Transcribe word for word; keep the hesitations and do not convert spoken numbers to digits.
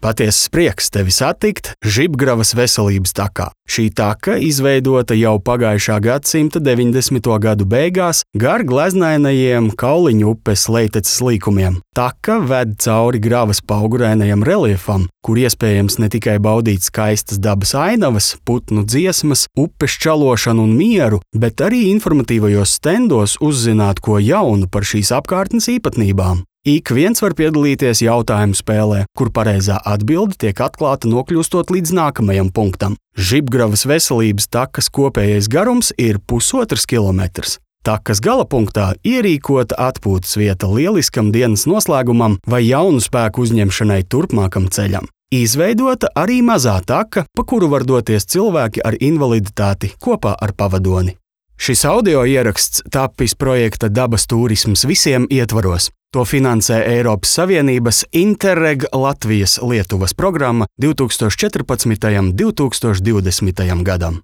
Patiesas prieks tevi satikt Žibgravas veselības takā. Šī taka izveidota jau pagājušā gadsimta deviņdesmito gadu beigās gar gleznainajiem Kauliņu upes Leiteces līkumiem. Taka ved cauri Gravas paugurēnajam reljefam, kur iespējams ne tikai baudīt skaistas dabas ainavas, putnu dziesmas, upes čalošanu un mieru, bet arī informatīvajos stendos uzzināt ko jaunu par šīs apkārtnes īpatnībām. Ik viens var piedalīties jautājumu spēlē, kur pareizā atbilde tiek atklāta nokļūstot līdz nākamajam punktam. Žibgravas veselības takas kopējais garums ir pusotrs kilometrs. Takas galapunktā ierīkota atpūtas vieta lieliskam dienas noslēgumam vai jaunu spēku uzņemšanai turpmākam ceļam. Izveidota arī mazā taka, pa kuru var doties cilvēki ar invaliditāti kopā ar pavadoni. Šis audio ieraksts tapis projekta Dabas turisms visiem ietvaros. To finansē Eiropas Savienības Interreg Latvijas Lietuvas programma divtūkstoš četrpadsmitajam līdz divtūkstoš divdesmitajam gadam.